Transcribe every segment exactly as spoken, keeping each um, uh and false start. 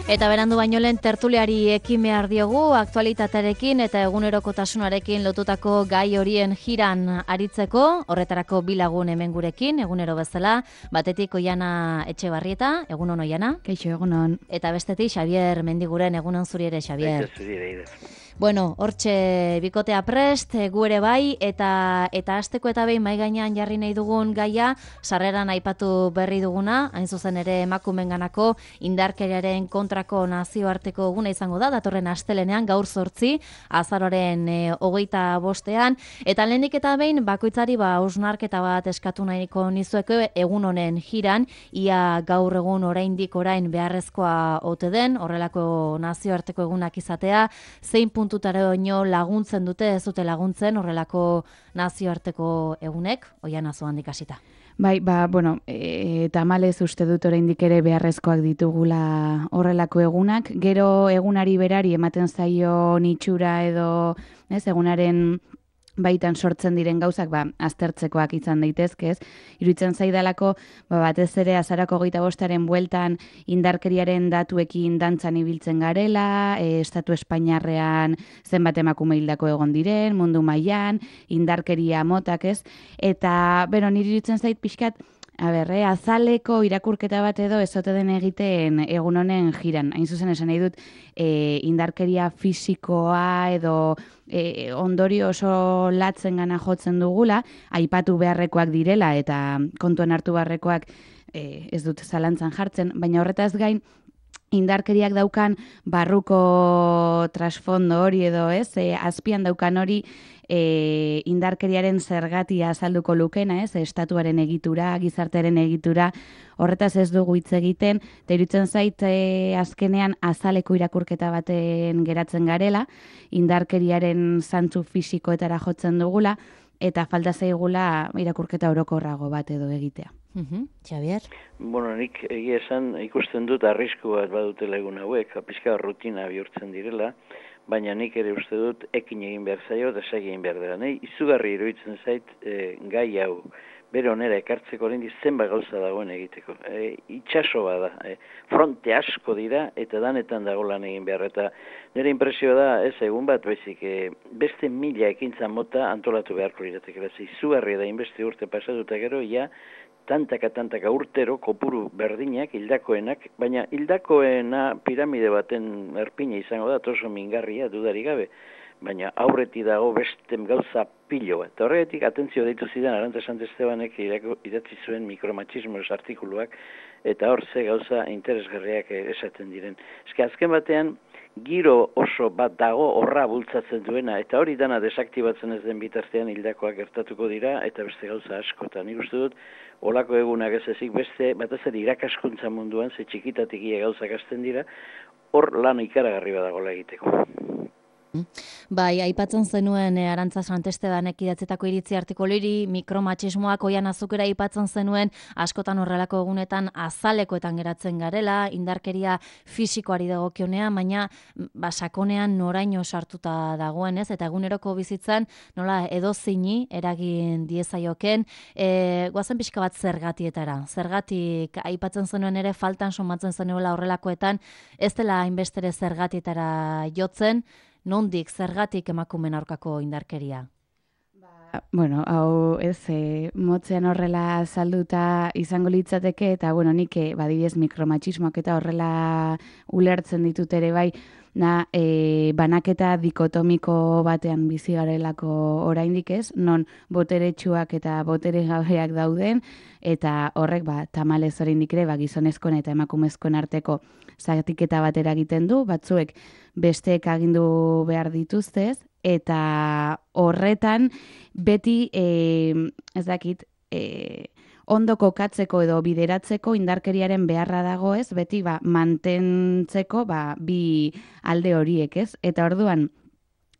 Eta berandu baino lehen tertuliari ekin behar diogu, aktualitatearekin eta egunerokotasunarekin lotutako gai horien jiran aritzeko, horretarako bilagun hemen gurekin, egunero bezala, batetik Oiana Etxebarrieta, egunon Oiana. Kaixo, egunon. Eta bestetik Xabier Mendiguren, egunon zuri ere, Xabier. Bueno, hortxe bikotea prest, gu ere bai, eta eta hasteko eta behin mai gainean jarri nahi dugun gaia, sarreran aipatu berri duguna, hain zuzen ere emakumeenganako indarkeriaren kontrako nazioarteko eguna izango da, datorren astelenean gaur zortzi, azaroaren e, hogeita bostean, eta lehenik eta behin bakoitzari ba hausnarketa bat eskatu nahiko nizueke egun honen jiran, ia gaur egun oraindik orain beharrezkoa ote den, horrelako nazioarteko egunak izatea, zein puntu tutaraino laguntzen dute, ez dute laguntzen horrelako nazioarteko egunek, Oiana zuhandik hasita. Bai, ba, bueno, e, tamalez uste dut oraindik ere beharrezkoak ditugula horrelako egunak. Gero egunari berari ematen zaio itxura edo, ez, egunaren baitan sortzen diren gauzak, ba, aztertzekoak izan daitezke, ez? Iruditzen zaidalako, ba, batez ere azarako hogeita bostaren bueltan indarkeriaren datuekin dantzan ibiltzen garela, e, estatu espainiarrean zenbat emakume hildako egon diren, mundu mailan, indarkeria motak, ez? Eta, bero, niri iruditzen zait pixkat, A ber, eh, azaleko irakurketa bat edo ez ote den egiten egun honen jiran. Hain zuzen esan nahi dut, e, indarkeria fisikoa edo e, ondorio oso latzen gana jotzen dugula, aipatu beharrekoak direla eta kontuan hartu beharrekoak e, ez dut zalantzan jartzen, baina horretaz gain, indarkeriak daukan barruko trasfondo hori edo ez, e, azpian daukan hori e, indarkeriaren zergatia azalduko lukena, ez, estatuaren egitura, gizartearen egitura, horretaz ez dugu hitz egiten, eta iruditzen zait e, azkenean azaleko irakurketa baten geratzen garela, indarkeriaren zantzu fisikoetara jotzen dugula, eta falta zaigula irakurketa orokorrago bat edo egitea. Uh-huh. Xabier? Bueno, nik egia esan ikusten dut arrisku bat badutela egun hauek, pixka rutina bihurtzen direla, baina nik ere uste dut ekin egin behar zaio eta segi egin behar dela. Nei, izugarri iruditzen zait e, gai hau bere onera ekartzeko oraindik zenbat gauza dagoen egiteko. E, itxaso bada, e, fronte asko dira eta danetan dago lan egin behar. Eta nire impresioa da, ez egun bat, bezik, e, beste mila ekintza mota antolatu beharko liratekela. Izugarri da inbeste urte pasatuta gero, ja, tantaka, tantaka urtero kopuru berdinak, hildakoenak, baina hildakoena piramide baten erpina izango da, oso mingarria, dudarik gabe, baina aurreti dago beste gauza pilo bat. Eta horregatik, atentzio deitu zidan, Arantza Santestebanek idatzi zuen mikromachismos artikuluak, eta hor ze gauza interesgarriak esaten diren. Eske azken batean, giro oso bat dago horra bultzatzen duena, eta hori dana desaktibatzen ez den bitartean hildakoak gertatuko dira, eta beste gauza asko. Eta nik uste dut, olako egunak ez ezik beste, batez ere irakaskuntza munduan, ze txikitatik ia gauzak hasten dira, hor lan ikaragarri badagoela egiteko. Bai, aipatzen zenuen e, Arantza Santestebanek idatzetako iritzi artikuliri, mikromachismoak Oiana azukera aipatzen zenuen, askotan horrelako egunetan azalekoetan geratzen garela, indarkeria fisikoari dagokionean, baina ba, sakonean noraino sartuta dagoen, ez? Eta eguneroko bizitzan nola edozeini eragin diezaioken, e, goazen pixka bat zergatietara. Zergatik aipatzen zenuen ere faltan somatzen zenuela horrelakoetan, ez dela hainbestere zergatietara jotzen, nondik, zergatik emakumeen aurkako indarkeria? Ba, bueno, hau ez, e, motzean horrela salduta izango litzateke, eta bueno, nik e, badibidez mikromachismoak eta horrela ulertzen ditut ere bai, na, e, banaketa dikotomiko batean bizi garelako oraindik ez, non boteretsuak eta botere gabeak dauden, eta horrek ba, tamalez oraindik ere ba, gizonezkoen eta emakumezkoen arteko zatiketa bat eragiten du, batzuek besteek agindu behar dituztez, eta horretan beti e, ez dakit e, ondo kokatzeko edo bideratzeko indarkeriaren beharra dago ez, beti ba, mantentzeko ba, bi alde horiek ez, eta orduan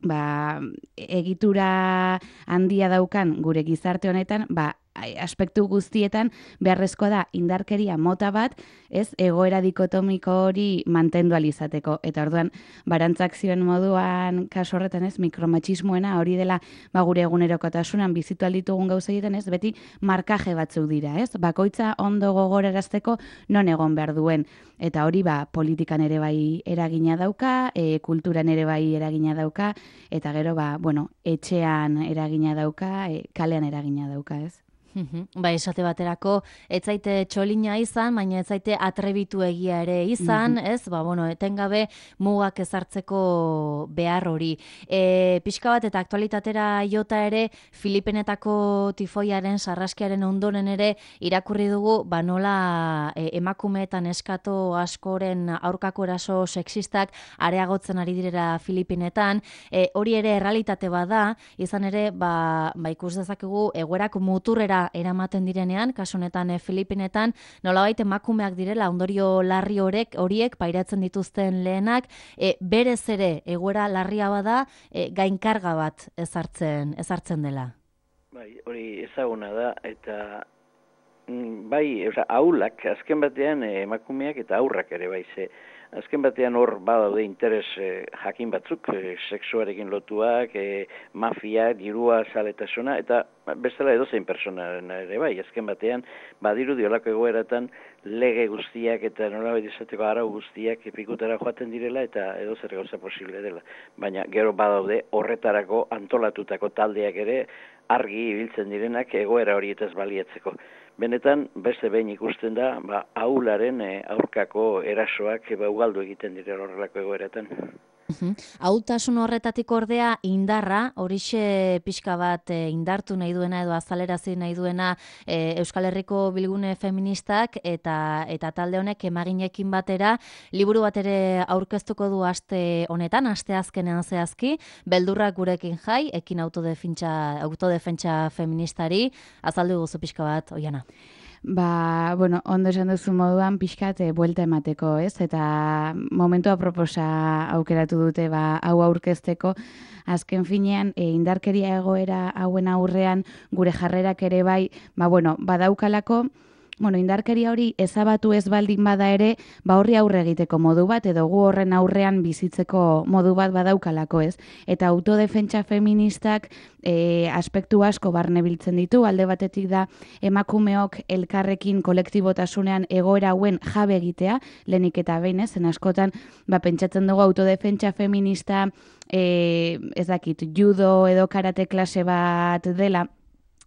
ba, egitura handia daukan gure gizarte honetan, ba, aspektu guztietan beharrezkoa da indarkeria mota bat, ez egoera dikotomiko hori mantendu alizateko. Eta orduan, barantzak zioen moduan kasu horretan ez, mikromatxismoena hori dela ba, gure egunerokotasunan bizitu alditugun gauza egiten ez, beti markaje batzuk dira, ez? Bakoitza ondo gogorarazteko non egon behar duen. Eta hori ba, politikan ere bai eragina dauka, e, kulturan ere bai eragina dauka, eta gero ba, bueno, etxean eragina dauka, e, kalean eragina dauka, ez? Ba, esate baterako, ez zaite txolina izan, baina ez zaite atrebitu egia ere izan, mm-hmm. ez? Ba, bueno, etengabe mugak ezartzeko behar hori. E, pixka bat eta aktualitatera jota ere, Filipenetako tifoiaren, sarraskiaren ondoren ere, irakurri dugu, ba, nola e, emakumeetan eskato askoren aurkako eraso sexistak areagotzen ari direra Filipinetan. E, hori ere errealitate bada, izan ere, ba, ba ikus dezakegu, egoerak muturrera eramaten direnean, kasu honetan Filipinetan, nolabait emakumeak direla ondorio larri horek horiek pairatzen dituzten lehenak, e, berez ere egoera larria bada, e, gainkarga bat ezartzen ezartzen dela. Bai, hori ezaguna da eta bai, osea, aulak azken batean emakumeak eta aurrak ere bai ze azken batean hor badaude interes eh, jakin batzuk, eh, sexuarekin lotuak, eh, mafia, dirua, zaletasuna, eta bestela edozein personaren ere bai, azken batean badirudi olako egoeratan lege guztiak eta nolabait izateko arau guztiak epikutara joaten direla eta edozer gauza posible dela. Baina gero badaude horretarako antolatutako taldeak ere argi ibiltzen direnak egoera horietaz baliatzeko. Benetan, beste behin ikusten da, ba, aularen e, aurkako erasoak e, ba, ugaldu egiten direla horrelako egoeratan. Ahultasun horretatik ordea indarra, horixe pixka bat e, indartu nahi duena edo azalerazi nahi duena e, Euskal Herriko Bilgune Feministak eta eta talde honek emaginekin batera liburu bat ere aurkeztuko du aste honetan, aste azkenean zehazki, beldurrak gurekin jai, ekin autodefentsa autodefentsa feministari, azaldu guzu pixka bat, Oiana. Ba, bueno, ondo esan duzu moduan pixkat e, buelta emateko, ez? Eta momentua proposa aukeratu dute ba, hau aurkezteko, azken finean e, indarkeria egoera hauen aurrean gure jarrerak ere bai, ba, bueno, badaukalako, bueno, indarkeria hori ezabatu ez baldin bada ere, ba horri aurre egiteko modu bat, edo gu horren aurrean bizitzeko modu bat badaukalako, ez? Eta autodefentsa feministak e, aspektu asko barnebiltzen ditu, alde batetik da emakumeok elkarrekin kolektibotasunean egoera hauen jabe egitea, lehenik eta behin, ez? Zen askotan, ba, pentsatzen dugu autodefentsa feminista, e, ez dakit, judo edo karate klase bat dela,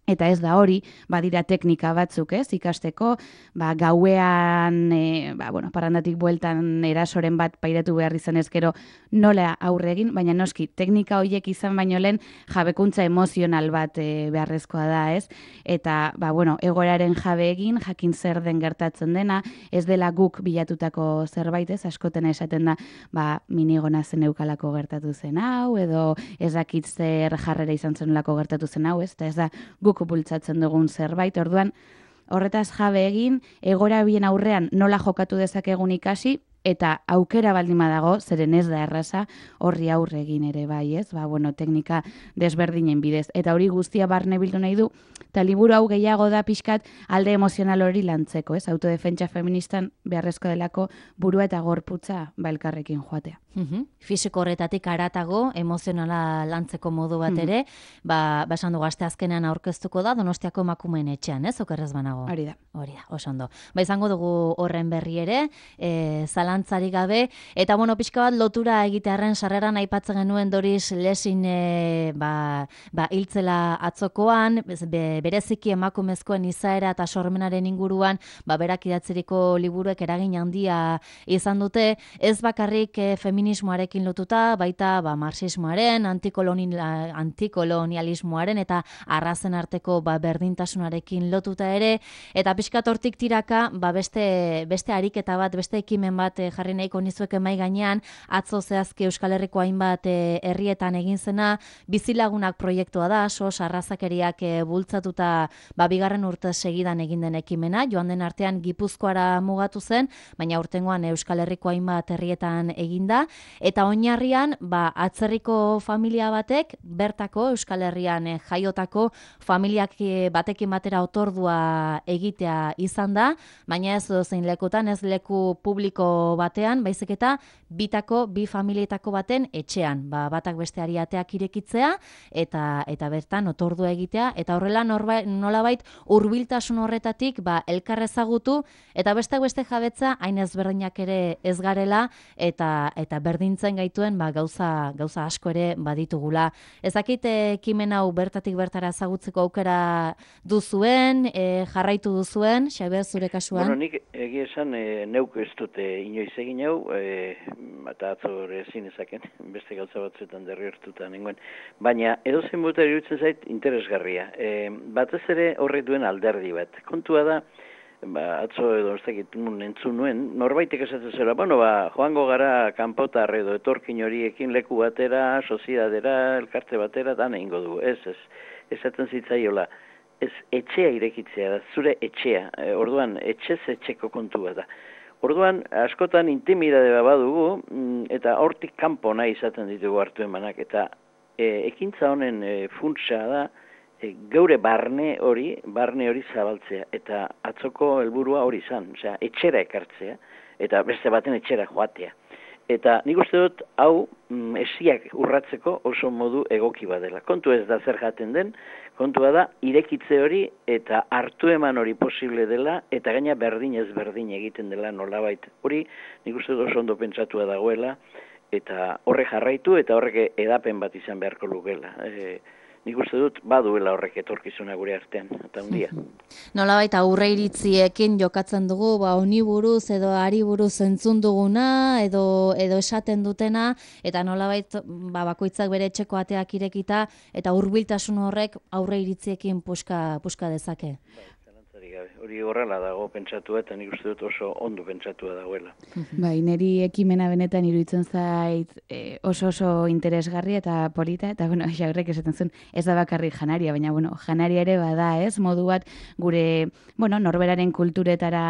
eta ez da hori, badira teknika batzuk, ez, ikasteko, ba, gauean, e, ba, bueno, parandatik bueltan erasoren bat pairatu behar izan ezkero nola aurre egin, baina noski, teknika horiek izan baino lehen jabekuntza emozional bat e, beharrezkoa da, ez, eta, ba, bueno, egoeraren jabe egin, jakin zer den gertatzen dena, ez dela guk bilatutako zerbait, ez, askoten esaten da, ba, minigona zen eukalako gertatu zen hau, edo ez dakit zer jarrera izan zenulako gertatu zen hau, ez, eta ez da guk bultzatzen dugun zerbait, orduan horretaz jabe egin, egora bien aurrean nola jokatu dezakegun ikasi, eta aukera baldin badago, zeren ez da erraza, horri aurre egin ere bai, ez? Ba, bueno, teknika desberdinen bidez. Eta hori guztia barne bildu nahi du, eta liburu hau gehiago da pixkat alde emozional hori lantzeko, ez? Autodefentsa feministan beharrezko delako burua eta gorputza ba elkarrekin joatea. Uhum. Fisiko horretatik aratago, emozionala lantzeko modu bat ere, uhum. ba, ba esan dugu aste azkenean aurkeztuko da, Donostiako emakumeen etxean, ez? Okerrez banago. Hori da. Hori da, oso ondo. Ba izango dugu horren berri ere, e, zalantzari gabe, eta bueno, pixka bat lotura egitearren sarreran aipatzen genuen Doris Lessing e, ba, ba, hiltzela atzokoan, be, bereziki emakumezkoen izaera eta sormenaren inguruan, ba, berak idatziriko liburuek eragin handia izan dute, ez bakarrik e, feminismoarekin lotuta, baita ba, marxismoaren, antikolonialismoaren eta arrazen arteko ba, berdintasunarekin lotuta ere, eta pixkat hortik tiraka, ba, beste, beste ariketa bat, beste ekimen bat e, jarri nahiko nizueke mai gainean, atzo zehazki Euskal Herriko hainbat e, herrietan egin zena, bizilagunak proiektua da, sos arrazakeriak e, bultzatuta ba, bigarren urte segidan egin den ekimena, joan den artean Gipuzkoara mugatu zen, baina urtengoan Euskal Herriko hainbat herrietan eginda, eta oinarrian ba, atzerriko familia batek, bertako Euskal Herrian eh, jaiotako familiak batekin batera otordua egitea izan da, baina ez zein lekutan, ez leku publiko batean, baizik eta bitako, bi familietako baten etxean, ba, batak besteari ateak irekitzea, eta eta bertan otordua egitea, eta horrela norba, nolabait hurbiltasun horretatik ba, elkar ezagutu, eta besteak beste jabetza hain ezberdinak ere ez garela, eta eta berdintzen gaituen ba, gauza, gauza asko ere baditugula. Ezakit ekimen hau bertatik bertara ezagutzeko aukera duzuen, e, jarraitu duzuen, Xabier, zure kasuan? Bueno, nik egia esan e, neuk ez dute inoiz egin hau, e, eta atzo ezin ezaken, beste gauza batzuetan derriortuta nengoen, baina edozein bota iruditzen zait interesgarria. E, batez ere horrek duen alderdi bat. Kontua da, ba, atzo edo ez dakit nun entzun nuen, norbaitek esatzen zera, bueno, ba, joango gara kanpotar edo etorkin horiekin leku batera, soziedadera, elkarte batera, dan egingo du. Ez, ez, esaten zitzaiola, ez etxea irekitzea da, zure etxea, e, orduan etxez etxeko kontua da. Orduan, askotan intimidade badugu, eta hortik kanpo nahi izaten ditugu hartu emanak, eta e, ekintza honen e, funtsa da, geure barne hori, barne hori zabaltzea, eta atzoko helburua hori izan, osea, etxera ekartzea, eta beste baten etxera joatea. Eta nik uste dut, hau, mm, esiak urratzeko oso modu egoki badela. Kontu ez da zer jaten den, kontua da, irekitze hori eta hartu eman hori posible dela, eta gaina berdin ez berdin egiten dela nolabait. Hori, nik uste dut oso ondo pentsatua dagoela, eta horrek jarraitu, eta horrek edapen bat izan beharko lukela. E, Nik uste dut baduela horrek etorkizuna gure artean, eta hundia. Nolabait aurre iritziekin jokatzen dugu, ba, honi buruz edo ari buruz entzun duguna, edo, edo esaten dutena, eta nolabait ba, bakoitzak bere etxeko ateak irekita, eta hurbiltasun horrek aurre iritziekin puska, puska dezake. Hori horrela dago pentsatua, eta nik uste dut oso ondo pentsatua dagoela. Bai, niri ekimena benetan iruditzen zait e, oso oso interesgarri eta polita, eta bueno, Xaurrek esaten zuen, ez da bakarrik janaria, baina bueno, janaria ere bada, ez, modu bat gure, bueno, norberaren kulturetara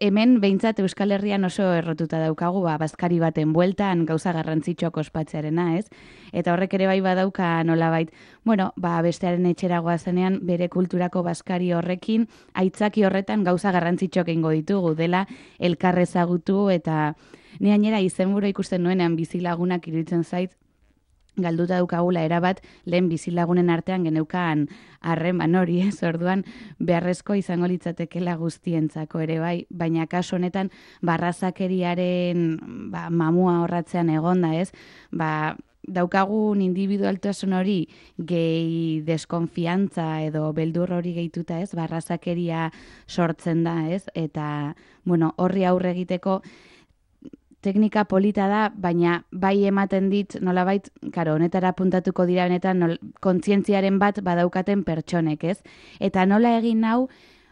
hemen behintzat Euskal Herrian oso errotuta daukagu, ba, bazkari baten bueltan gauza garrantzitsuak ospatzearena, ez? Eta horrek ere bai badauka nolabait, bueno, ba, bestearen etxera goazenean bere kulturako bazkari horrekin, aitzaki horretan gauza garrantzitsuak egingo ditugu, dela elkar ezagutu, eta ni gainera izenburu ikusten nuenean bizilagunak iruditzen zait, galduta daukagula erabat lehen bizilagunen artean geneukan harreman hori, ez, orduan beharrezko izango litzatekela guztientzako ere bai, baina kasu honetan barrazakeriaren ba, mamua horratzean egonda, ez, ba, daukagun individualtasun hori gehi deskonfiantza edo beldur hori gehituta, ez, barrazakeria sortzen da, ez, eta, bueno, horri aurre egiteko teknika polita da, baina bai ematen dit, nolabait, karo, honetara puntatuko dira benetan nol, kontzientziaren bat badaukaten pertsonek, ez? Eta nola egin hau,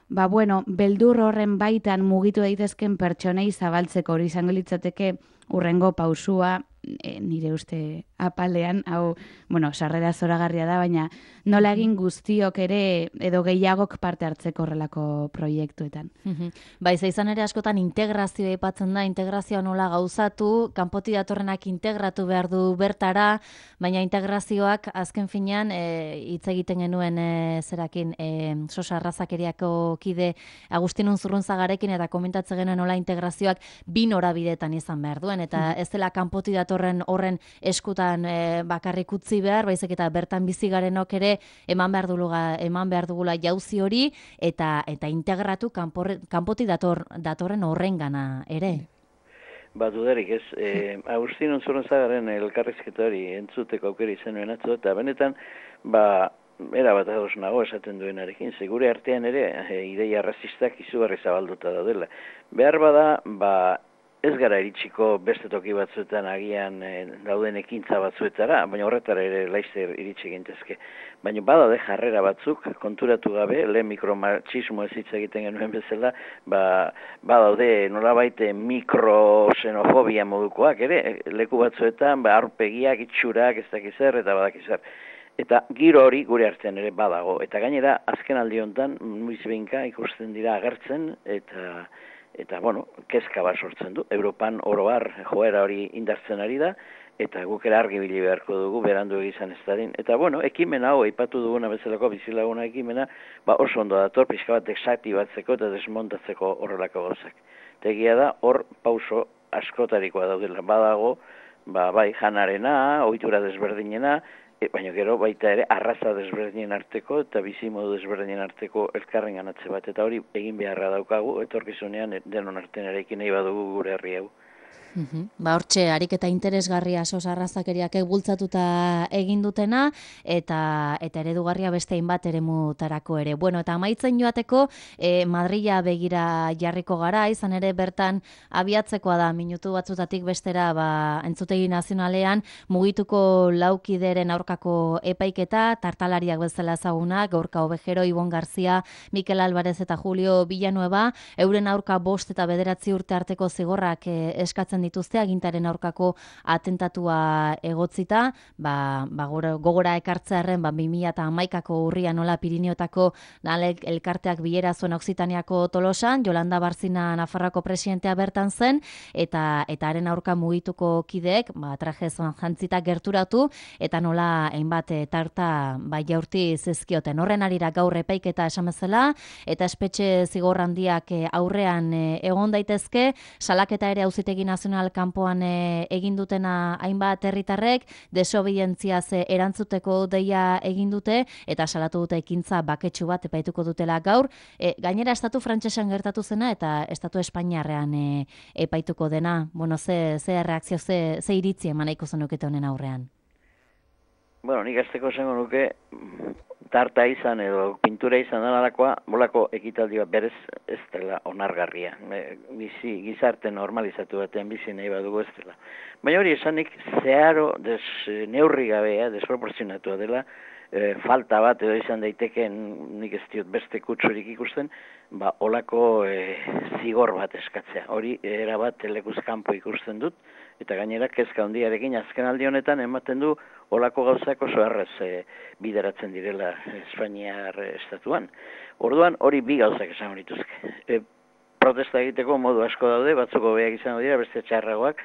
ba, bueno, beldur horren baitan mugitu daitezken pertsonei zabaltzeko hori izango litzateke urrengo pausua, e, nire uste apalean, hau, bueno, sarrera zoragarria da, baina nola egin guztiok ere edo gehiagok parte hartzeko horrelako proiektuetan. Bai, izan ere askotan integrazioa aipatzen da, integrazioa nola gauzatu, kanpoti datorrenak integratu behar du bertara, baina integrazioak azken finean hitz egiten genuen e, zerakin e, sosa arrazakeriako kide Agustin Unzurrunzagarekin eta komentatzen genuen nola integrazioak bi norabidetan izan behar duen, eta ez dela kanpoti datorren horren eskutan e, bakarrik utzi behar, baizik eta bertan bizi garenok ere eman behar dugula, eman behar dugula jauzi hori eta eta integratu kanporre, kanpoti dator, datorren horrengana ere. Ba, dudarik ez, eh, Agustin Unzurrunzagaren elkarrizketa hori entzuteko aukera izan nuen atzo, eta benetan, ba, era bat ados nago esaten duenarekin, segure artean ere, e, ideia rasistak izugarri zabalduta daudela. Behar bada, ba, ez gara iritsiko beste toki batzuetan agian e, dauden ekintza batzuetara, baina horretara ere laizzer iritsi gintezke. Baina badaude jarrera batzuk, konturatu gabe, lehen mikromatxismo ez hitz egiten genuen bezala, ba, badaude nolabait mikroxenofobia modukoak ere, leku batzuetan, ba, aurpegiak, itxurak, ez dakizer, eta badakizar. Eta giro hori gure artean ere badago. Eta gainera, azken aldi honetan, nuiz behinka ikusten dira agertzen, eta eta, bueno, kezka bat sortzen du. Europan oroar joera hori indartzen ari da, eta guk ere argi bili beharko dugu, berandu egizan ez dadin. Eta, bueno, ekimen hau, aipatu duguna bezalako bizilaguna ekimena, ba oso ondo dator, pixka bat desaktibatzeko eta desmontatzeko horrelako gauzak. Tegia da, hor pauso askotarikoa daudela. Badago, ba, bai, janarena, ohitura desberdinena, e, baina gero baita ere arraza desberdinen arteko eta bizimodu desberdinen arteko elkarren ganatze bat. Eta hori egin beharra daukagu, etorkizunean denon artean erekin nahi badugu gure herri hau. Uhum. Ba, hortxe, ariketa interesgarria sos arrazakeriak bultzatuta egin dutena, eta eta eredugarria beste hainbat eremutarako ere. Bueno, eta amaitzen joateko, eh, Madrila begira jarriko gara, izan ere bertan abiatzekoa da, minutu batzutatik bestera, ba, entzutegi nazionalean, mugituko laukideren aurkako epaiketa, tartalariak bezala ezagunak, Gorka Obejero, Ibon Garzia, Mikel Alvarez eta Julio Villanueva, euren aurka bost eta bederatzi urte arteko zigorrak eh, eskatzen dituzte agintaren aurkako atentatua egotzita, ba, ba gogora ekartzearren ba bi mila hamaikako urria nola Pirineotako dalek elkarteak bilera zuen Oksitaniako Tolosan, Jolanda Barzina Nafarroako presidentea bertan zen, eta eta haren aurka mugituko kideek, ba traje jantzita gerturatu eta nola hainbat tarta ba jaurti zizkioten. Horren arira gaur epaiketa esan bezala, eta espetxe zigor handiak aurrean egon daitezke, salaketa ere Auzitegi Nazional kanpoan e, egin dutena hainbat herritarrek, desobedientziaz erantzuteko deia egin dute, eta salatu dute ekintza baketsu bat epaituko dutela gaur. E, gainera, estatu frantsesan gertatu zena, eta estatu espainiarrean e, epaituko dena. Bueno, ze, ze reakzio, ze, ze iritzi eman nahiko zenukete honen aurrean? Bueno, nik azteko zengo nuke, tarta izan edo pintura izan denalakoa, bolako ekitaldi bat berez ez dela onargarria. Bizi, gizarte normalizatu batean bizi nahi badugu ez dela. Baina hori esanik zeharo des, neurri gabea, desproporzionatua dela, e, falta bat edo izan daiteken, nik ez diot beste kutsurik ikusten, ba, olako e, zigor bat eskatzea. Hori erabat lekuz kanpo ikusten dut, eta gainera kezka handiarekin azken aldi honetan ematen du olako gauzak oso erraz e, bideratzen direla Espainiar estatuan. Orduan hori bi gauzak esan dituzke. E, protesta egiteko modu asko daude, batzuk hobeak izango dira, beste txarragoak,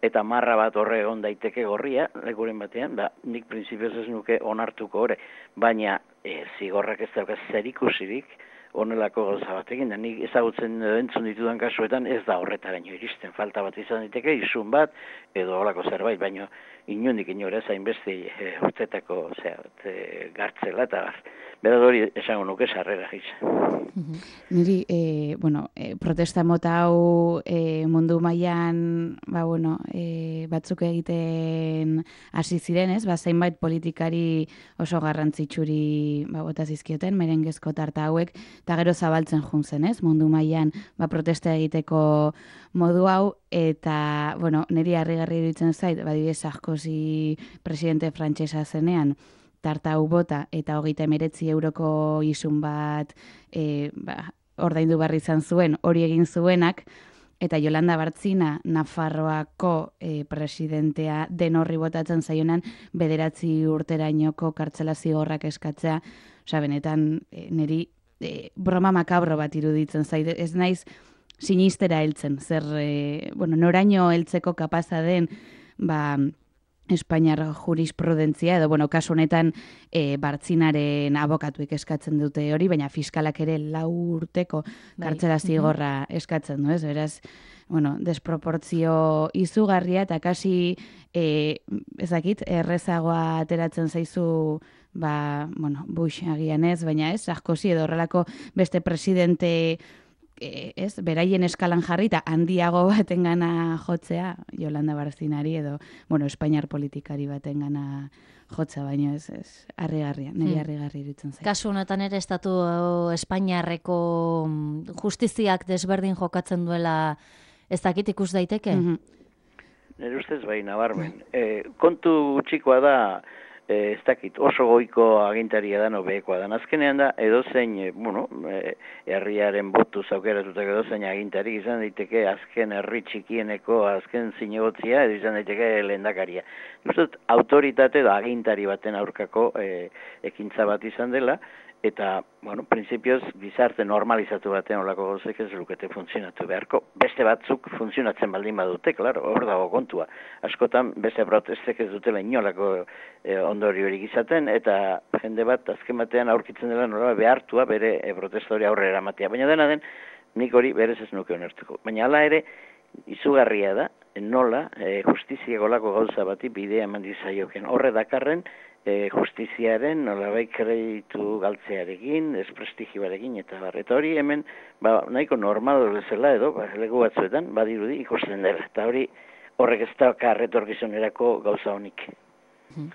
eta marra bat horre egon daiteke gorria, lekuren batean, ba, nik printzipioz ez nuke onartuko hori, baina e, zigorrak ez daukaz zerikusirik, honelako gauza batekin, da nik ezagutzen entzun ditudan kasuetan ez da horretaraino iristen, falta bat izan diteke, izun bat, edo holako zerbait, baina inundik inora zain beste e, urtetako zera, e, gartzela eta bar. Beraz hori esango nuke sarrera gisa. Niri, e, bueno, e, protesta mota hau e, mundu mailan ba, bueno, e, batzuk egiten hasi ziren, ez? Ba, zeinbait politikari oso garrantzitsuri ba, bota zizkioten, merengezko tarta hauek, eta gero zabaltzen jun zen, ez? Mundu mailan ba, protesta egiteko modu hau, eta, bueno, niri harrigarri iruditzen zait, badibidez Sarkozy presidente frantsesa zenean, tarta hau bota eta hogeita hemeretzi euroko isun bat e, ba, ordaindu barri izan zuen, hori egin zuenak, eta Jolanda Barzina Nafarroako e, presidentea den horri botatzen zaionan bederatzi urterainoko kartzela zigorrak eskatzea, osea, benetan e, niri e, broma makabro bat iruditzen zaide, ez naiz sinistera heltzen, zer, e, bueno, noraino heltzeko kapaza den, ba, Espainiar jurisprudentzia, edo, bueno, kasu honetan e, Bartzinaren abokatuek eskatzen dute hori, baina fiskalak ere lau urteko kartzela zigorra eskatzen du, ez? Beraz, bueno, desproportzio izugarria, eta kasi, e, ezakit, errezagoa ateratzen zaizu, ba, bueno, Bush agian ez, baina ez, Sarkozy edo horrelako beste presidente ez, beraien eskalan jarri eta handiago batengana jotzea Jolanda Barzinari edo, bueno, Espainiar politikari batengana jotza, baino ez, ez, harrigarria, niri harrigarri iruditzen zait. Kasu honetan ere estatu Espainiarreko justiziak desberdin jokatzen duela ez dakit ikus daiteke? Mm-hmm. Nire ustez bai, nabarmen. E, kontu txikoa da, ez dakit, oso goiko agintaria da, nobeekoa da. Azkenean da, edozein, bueno, herriaren botu zaukeratutak edozein agintari izan daiteke azken herri txikieneko, azken zinegotzia, edo izan daiteke lehendakaria. Justot, autoritate edo agintari baten aurkako e, ekintza bat izan dela, eta, bueno, prinsipioz, gizarte normalizatu batean olako gauzek ez lukete funtzionatu beharko. Beste batzuk funtzionatzen baldin badute, klaro, hor dago kontua. Askotan, beste protestek ez dutela inolako e, ondoriorik izaten, eta jende bat, azken batean aurkitzen dela nola behartua bere e, protesta hori aurrera eramatea. Baina dena den, nik hori berez ez nuke onertuko. Baina hala ere, izugarria da, nola, e, justiziako lako gauza bati bidea eman dizaioken. Horre dakarren, E, justiziaren nolabait kreditu galtzearekin, desprestigioarekin eta bar. Eta hori hemen ba, nahiko normal bezala edo, ba, legu batzuetan, badirudi ikusten dela. Eta hori horrek ez da karretorgizunerako gauza honik. Hmm.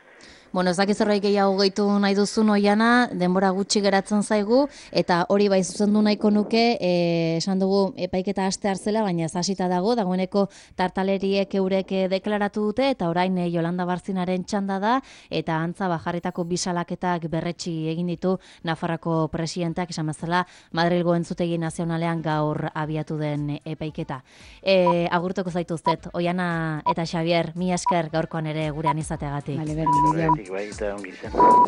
Bueno, ez dakiz zerbait gehiago gehitu nahi duzun Oiana, denbora gutxi geratzen zaigu, eta hori bai zuzendu nahiko nuke, e, esan dugu epaiketa aste hartzela, baina ez hasita dago, dagoeneko tartaleriek eurek deklaratu dute, eta orain e, Jolanda Barzinaren txanda da, eta antza bajarritako bisalaketak berretsi egin ditu Nafarrako presidenteak, esan bezala Madrilgo Entzutegi Nazionalean gaur abiatu den epaiketa. E, agurtuko zaituztet, Oiana eta Xabier, mi esker gaurkoan ere gurean izateagatik. Vale, berdin, Baita ongi zen.